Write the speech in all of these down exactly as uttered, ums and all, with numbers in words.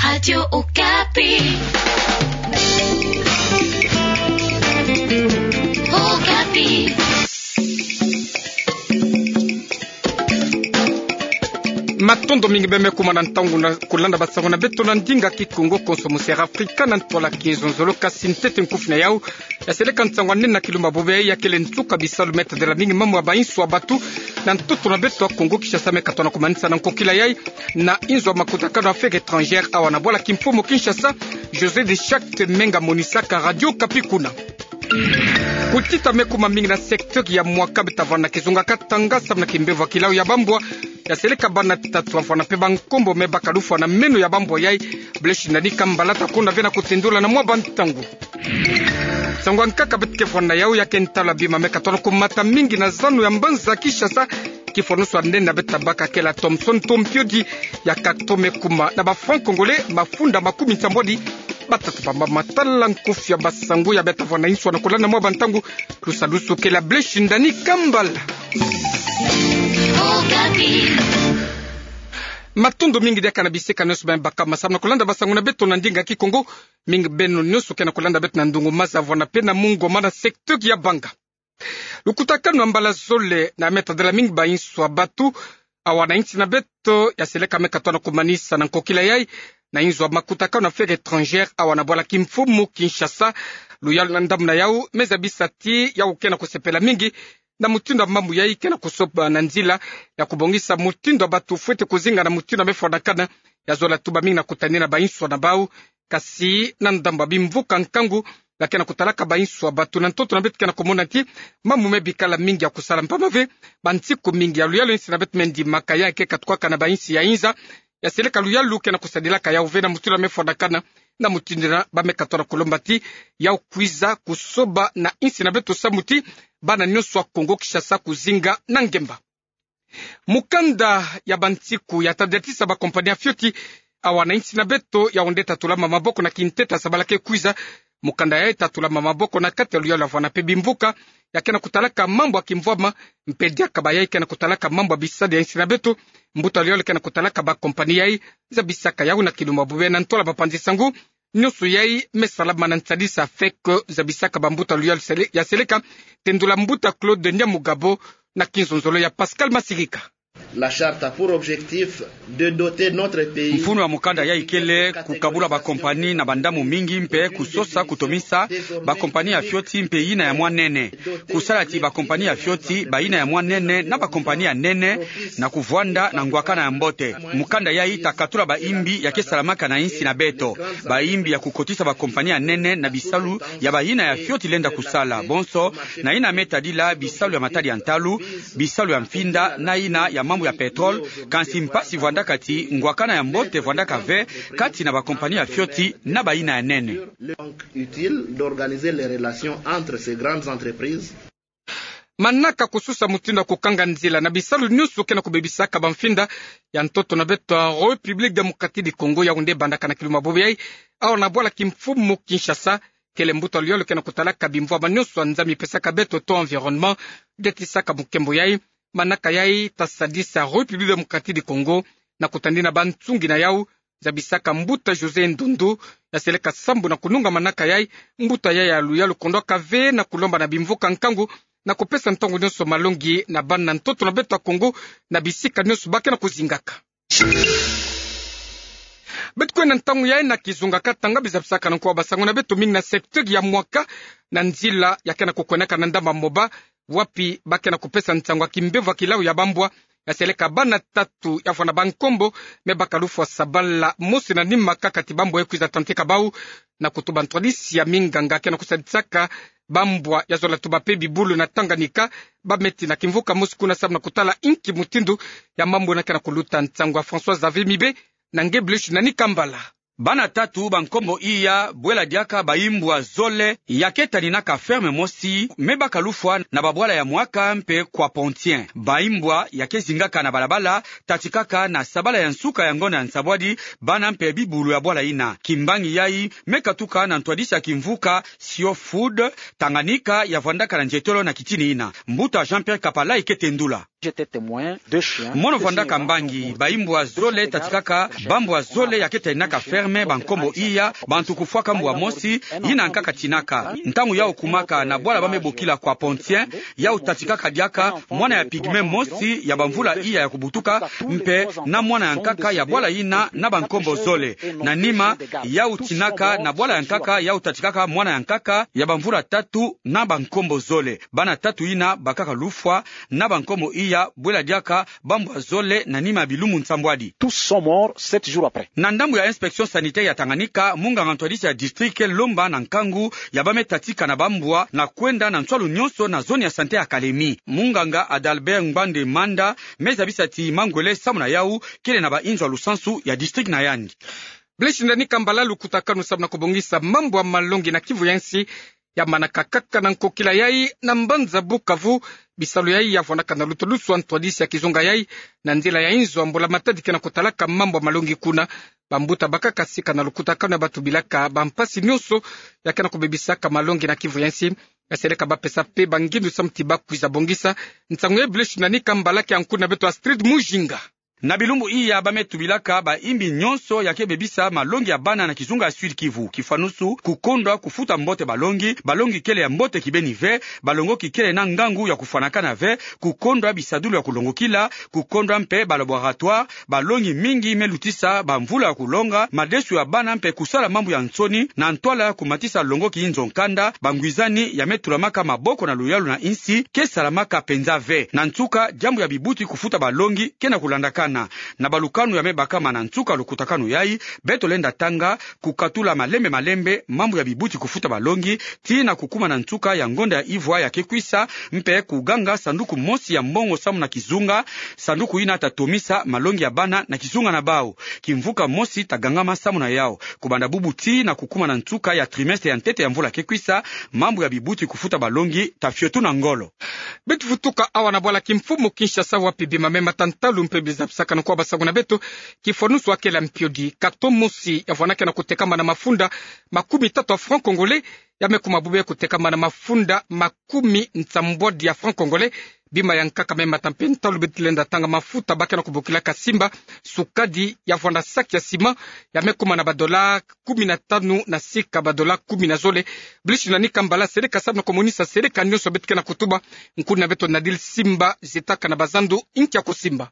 Radio Okapi. Okapi. Matondo mingi bê me kuma na ntangu na kulanda basango na beto na ndinga Kikongo, konso mu Sera Afrika na ntwala kinzonzolo. Kasi ntete nkufi na yau ya seleka nsangu ya nene na kilumbu ya bobo yai, ya kele nsuka bisalu me tadela mingi mamu ya bainsu ya batu na ntoto na beto ya Kongo Kinshasa, me katona kumanisa na nkokila yai na inzo ya makutakanu Affaires étrangères awa na bwala kimfumu Kinshasa, José de Chacte Menga, monisaka Radio Okapi kuna. Kutita me kuma mingi na secteur ya Mwaka. Bê tavana na kizunga katanga samu na kimbevo ya kilau ya bambwa ya seleka bana tatu, afwana mpe bankombo me baka lufwa na meno ya bambwa yai. Blaise Ndani Kambala ta konda ve na kutendula na mwa bantangu. Nsangu ya nkaka bê tukefwana na yau ya ke ntalu ya bima me katona kumata mingi na zanu ya mbanza Kinshasa. Kifwa nusu ya nene bê tabaka kele ya Thomson Tompiodi, ya kato me kuma na ba francs congolais mafunda makumi nsambwadi. Batata, bamama, tala nkufi ya basango ya bê tavana na insu na kulanda mwa bantangu. Lusalusu kele ya Blaise Ndani Kambala. Matondo mingi diaka na bisika nyonso bê me baka masamu na kulanda basango na beto na ndinga Kikongo. Mingi beno nyonso ke na kulanda beto na ndungu maza, vwanda mpe na mungwa mana secteur ya Banga. Lukutakanu ya mbala zole na me tadela mingi bainsu ya batu awa na insi na beto ya seleka me katona kumanisa na nkokila yai na inzo ya makutakanu Affaires étrangères awa na bwala kimfumu Kinshasa. Luyalu na ndambu na yau me zabisa ti yau ke na kusepela mingi na mutindu ya mambu yai ke na kusoba na nzila ya kubongisa mutindu ya batu fwete kuzinga na mutindu ya me fwanakana. Ya zola tuba mingi na kutanina bainsu na bau, kasi na ndambu ya bimvuka nkangu ya ke na kutalaka bainsu ya batu na ntoto na beto ke na kumona ti mambu me bikala mingi ya kusala, mpamba ve bansiku mingi ya luyalu insi na beto me ndimaka ya ke katukaka na bainsi ya inza. Ya seleka luyalu ke na kusadilaka yau ve na mutindu ya me fwanakana, na mutindu yina ba me katona kulomba ti yau kwiza kusoba na insi na beto samu ti bana nyonso ya Kongo Kinshasa kuzinga na ngemba. Mukanda ya bansiku ya tadatisa bakompani ya fioti awa na insi na beto, yau nde tatulama maboko na kintete ya sabala ke kwiza. Mukanda yai tatulama maboko na kati ya luyalu ya vwanda mpe bimvuka ya ke na kutalaka mambu ya kimvwama, mpe diaka bayai ke na kutalaka mambu ya bisalu ya insi na beto. Mbuta luyalu ke na kutalaka bakompani yai zabisaka yau na kilumbu ya bobo yai na ntwala bapanzi sango nyonso yai me salama na nsadisa feke zabisaka bambuta luyalu sele-, ya seleka. Tendula mbuta Claude Nyamugabo na kinzonzolo ya Pascal Masirika. La charte a pour objectif de doter notre pays. Mfunu ya mukanda yai kele kukabula bakompani na bandamu mingi mpe kusosa kutomisa bakompani ya fioti mpe yina ya mwa nene. Kusala ti bakompani ya fioti, bayina ya mwa nene na bakompani ya nene, na kuvwanda na ngwakana ya mbote. Mukanda yai ta katula baimbi ya ke salamaka na insi na beto, baimbi ya kukotisa bakompani ya nene na bisalu ya bayina ya fioti lenda kusala, bonso na yina me tadila bisalu ya matadi ya ntalu, bisalu ya mfinda na yina ya mambu ya pétrole. Kansi mpasi vwandaka ti ngwakana ya mbote vwandaka ve kati na bakompani ya fioti na bayina ya nene. Donc utile d'organiser les relations entre ces grandes entreprises. Manaka kususa mutindu ya kukanga nzila na bisalu nyonso ke na kubebisaka bamfinda ya ntoto na beto ya République Démocratique du Congo, yau nde bandaka na kilumbu ya bobo yai awa na bwala kimfumu Kinshasa. Kele mbuta luyalu ke na kutalaka bimvwama nyonso ya Nzambi pesaka beto to environnement, detisaka mukembo yai. Manaka yai ta sadisa République Démocratique du Congo na kutandina bansungi na yau, zabisaka mbuta José Ndundu ya seleka sambu na kununga manaka yai. Mbuta yai ya luyalu kondwaka ve na kulomba na bimvuka nkangu na kupesa ntangu nyonso malongi na bana ntoto na beto ya Congo na bisika nyonso ba ke na kuzingaka. Beto kwenda ntangu yai na kizunga katanga, biza bisaka na nko wa basango na beto mingi na secteur ya Mwaka, na nzila ya ke na kukwendaka na Ndamba Moba, wapi ba ke na kupesa nsangu ya kimbevo ya kilau ya bambwa ya seleka bana tatu ya vwanda bankombo, me baka lufwa sabala mosi na nima kaka ti bambwa yai kwiza tanteka bau, na kutuba ntwadisi ya minganga ke na kusadisaka bambwa ya zola tuba mpe bibulu na Tanganyika. Ba meti na kimvuka mosi kuna samu na kutala inki mutindu ya mambu na ke na kuluta. Nsangu ya François Xavier Mibe na nge Blaise Nani Kambala. Bana tatu bankombo iya bwela diaka baimbwa zole ya ke taninaka ferme mosi, me baka lufwa na babwala ya Mwaka mpe Kwapon-Tien. Baimbwa ya ke zingaka na balabala, tatikaka na sabala ya nsuka ya ngonda ya nsabwadi, bana mpe bibulu ya bwala yina. Kimbangi yai me katuka na ntwadisi ya kimvuka Sio Food, Tanganyika ya vwandaka na nzietolo na kitini yina. Mbuta Jean-Pierre Kapalai ke tendula. Mono vandaka mbangi, baimbwa zole tatikaka bambwa zole ya ke taninaka ferme, bankombo iya, bantu kufwaka mbwa mosi, yina nkaka tinaka. Ntangu yau kumaka na bwala ba me bokila Kwapon-Tien, yau tatikaka diaka mwana ya pygmée mosi ya bamvula iya ya kubutuka, mpe na mwana ya nkaka ya bwala yina na bankombo zole. Na nima, yau tinaka na bwala ya nkaka, yau tatikaka mwana ya nkaka ya bamvula tatu na bankombo zole. Bana tatu yina bakaka lufwa na bankombo iya, bwela diaka bambwa zole na nima ya bilumbu nsambwadi. Tous sont morts sept jours après. Na ndambu ya inspection sanitaire ya Tanganyika, munganga ntwadisi ya district ke lomba na nkangu ya ba me tatika na bambwa na kwenda na nswalu nyonso na zone ya santé ya Kalemi. Munganga Adalbert Ngbande Manda me zabisa ti mangwele samu na yau kele na bainzo ya lusansu ya district na yandi. Blaise Ndani Kambala, lukutakanu samu na kubongisa mambu ya malongi na Kivu ya nsi ya manaka kaka na nkokila yai na mbanza Bukavu. Bisalu yai ya vwandaka na luta lusu ya ntwadisi ya kizunga yai na nzila ya inzo ya mbula-matadi ke na kutalaka mambu ya malongi kuna. Bambuta bakaka sika na lukutakanu ya batubilaka bampasi nyonso ya ke na kubebisaka malongi na Kivu ya nsi. Ya seleka bapesa mpe bangindu samu ti bakwiza bongisa nsangu yai. Blaise Ndani Kambala, ke ankuna beto Astrid Mujinga. Na bilumbu iya ba me tubilaka baimbi nyonso ya ke bebisa malongi ya bana na kizunga ya Sud-Kivu. Kifanusu, kukondwa kufuta mbote balongi, balongi kele ya mbote kibeni ve, balongoki kele na ngangu ya kufwanakana ve, kukondwa bisadulu ya kulongokila, kukondwa mpe ba laboratoire. Balongi mingi me lutisa bamvula ya kulonga, madesu ya bana mpe kusala mambu ya nsoni na ntwala ya kumatisa longoki inzo nkanda. Bangwizani ya me tulamaka maboko na luyalu na insi ke salamaka mpenza ve. Na nsuka, diambu ya bibuti kufuta balongi ke na kulandakana. Na balukanu ya me bakama na nsuka lukutakanu yai, beto lenda tanga, kukatula malembe malembe mambu ya bibuti kufuta balongi, tii na kukuma na nsuka ya ngonda ya ivwa ya ke kwisa, mpe kuganga sanduku mosi ya mbongo samu na kizunga. Sanduku yina ta tomisa malongi ya bana na kizunga na bau. Kimvuka mosi ta gangama samu na yau. Kubanda bubu tii na kukuma na nsuka ya trimestre ya ntete ya mvula ke kwisa, mambu ya bibuti kufuta balongi ta fiotuna ngolo. Beto vutuka awa na bwala kimfumu Kinshasa, wapi bima me mata ntalu mpe biza bisakana kwa basangu na beto. Kifanusu, akela mpiodi, carton mosi ya vwandaka na kutekama na mafunda makumi tatu ya francs congolais, ya me kuma bube kutekama na mafunda makumi nsambwadi ya francs congolais. Bima ya nkaka me mata mpe ntalu. Beto lenda tanga mafuta ba ke na kubokilaka Simba, sukadi ya vwanda sac ya ciment, ya me kuma na ba dollars kumi na tanu na sika ba dollars kumi na zole. Blaise Ndani Kambala, seleka samu na kumonisa seleka nyonso beto ke na kutuba. Nkuna beto Nadil Simba, zitakana bazandu, nkia kusimba.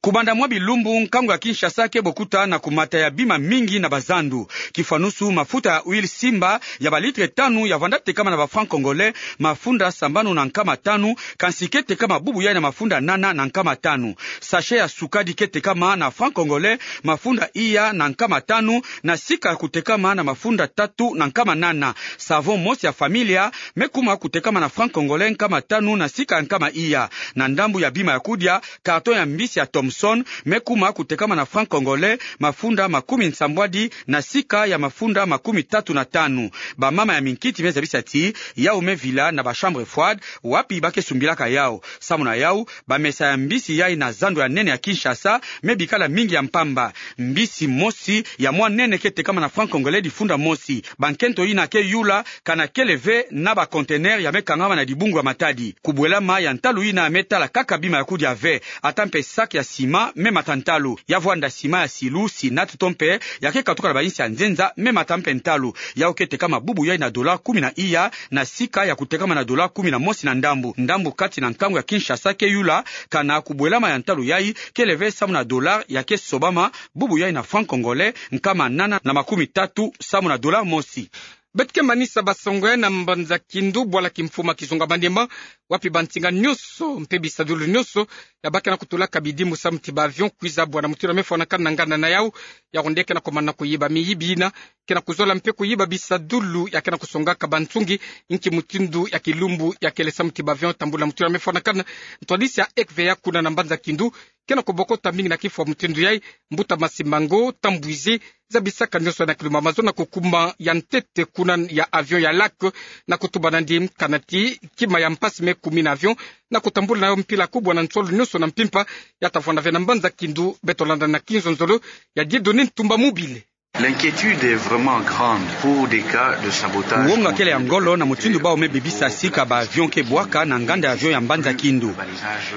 Kubanda mwa bilumbu, nkangu ya Kinshasa ke bokuta na kumata ya bima mingi na bazandu. Kifanusu, mafuta ya huile Simba ya ba litres tanu ya vwanda tekama na ba francs congolais mafunda sambanu na nkama tanu, kansi ke tekama bubu yai na mafunda nana na nkama tanu. Sachet ya sukadi ke tekama na francs congolais mafunda iya na nkama tanu, na sika ya kutekama na mafunda tatu na nkama nana. Savon mosi ya Familia me kuma kutekama na francs congolais nkama tanu na sika ya nkama iya. Na ndambu ya bima ya kudia, carton ya mbisi ya Thomson me kuma kutekama na francs congolais mafunda makumi nsambwadi na sika ya mafunda makumi tatu na tanu. Bamama ya minkiti me zabisa ti yau me vila na ba chambres froides wapi ba ke sumbilaka yau. Samu na yau, bamesa ya mbisi yai na zando ya nene ya Kinshasa me bikala mingi ya mpamba. Mbisi mosi ya mwa nene ke tekama na francs congolais difunda mosi. Bankento yina ke yula kana kele ve na ba conteneurs ya me kangama na dibungu ya matadi. Kubwelama ya ntalu yina me tala kaka bima ya kudia ve. Ata mpe sac ya ciment me mata ntalu. Ya vwanda ciment ya Silu, Sinat to mpe ya ke katuka na bayinsi ya nzenza me mata mpe ntalu. Yau ke tekama bubu yai na dollars kumi na iya, na sika ya kutekama na dollars kumi na mosi na ndambu. Ndambu kati na nkangu ya Kinshasa ke yula kana kubwelama ya ntalu yai kele ve samu na dollars ya ke sobama bubu yai na francs congolais nkama nana na makumi tatu samu na dollars mosi. Beto ke manisa basango yai na mbanza Kindu, bwala kimfumu ya kizunga Maniema, wapi bansinga nyonso mpe bisadulu nyonso ya ba ke na kutulaka bidimu samu ti ba avions kwiza bwana mutindu ya me fwanakana na nganda na yau. Yau nde ke na kumana kuyiba miyibi yina ke na kuzola mpe kuyiba bisadulu ya ke na kusongaka bansungi, nki mutindu ya kilumbu ya kele samu ti ba avions tambula mutindu ya me fwanakana. Ntwadisi ya F V A kuna na mbanza Kindu ke na kubokota mingi na kifwa mutindu yai. Mbuta Masimango Tambwizi zabisaka nyonso na kilumbu ya mazono na kukuma ya ntete kuna ya avion ya Lac na kutuba nandi kana ti kima ya mpasi me kumi na avion na kutambula na yo mpila kubwa na nsolo nyonso na mpimpa. Ya ta vwanda ve na mbanza Kindu. Beto landa na kinzonzolo ya Dieudonné Ntumba Mobile. L'inquiétude est vraiment grande pour des cas de sabotage. Kuonga kele ya ngolo na mutindu bau me bebisa sika ba avion ke bwaka na nganda ya avion ya mbanza Kindu.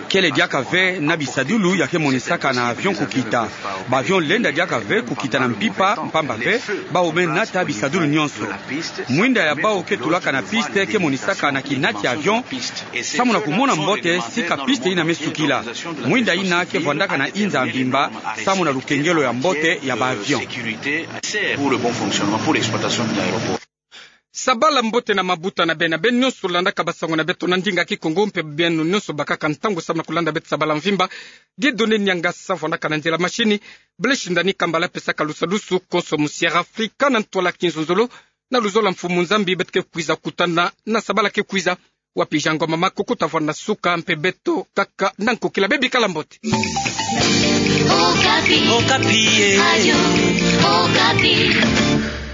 Kele diaka ve na bisadulu ya ke monisaka na avion kukita. Ba avion lenda diaka ve kukita na mpimpa, mpamba ve bau me nata bisadulu nyonso. Mwinda ya bau ke tulaka na piste ke monisaka na kinati ya avion, samu na kumona mbote sika piste ina me sukila. Mwinda ina ke vwandaka na inza mvimba, samu na lukengelo ya mbote ya ba avion. Pour le bon fonctionnement, pour l'exploitation de l'aéroport. Sabala mbote na mabuta na beno, beno nyonso landaka basango na beto na ndinga Kikongo, mpe beno nyonso bakaka ntangu samu na kulanda beto sabala mvimba. Dieudonné Niangasa vwandaka na nzila mashini, Blaise Shindani Kambala pesaka lusadusu, konso mu Sierra Africa na ntwala kinzonzolo, na luzolo Mfumu Nzambi beto ke kwiza kutana na sabala ke kwiza. Wapi Jean Ngoma Makuku ta vwanda suka, mpe beto kaka na nkokila, beno bikala mbote. Okapi. Okapi, eh. Radio Okapi.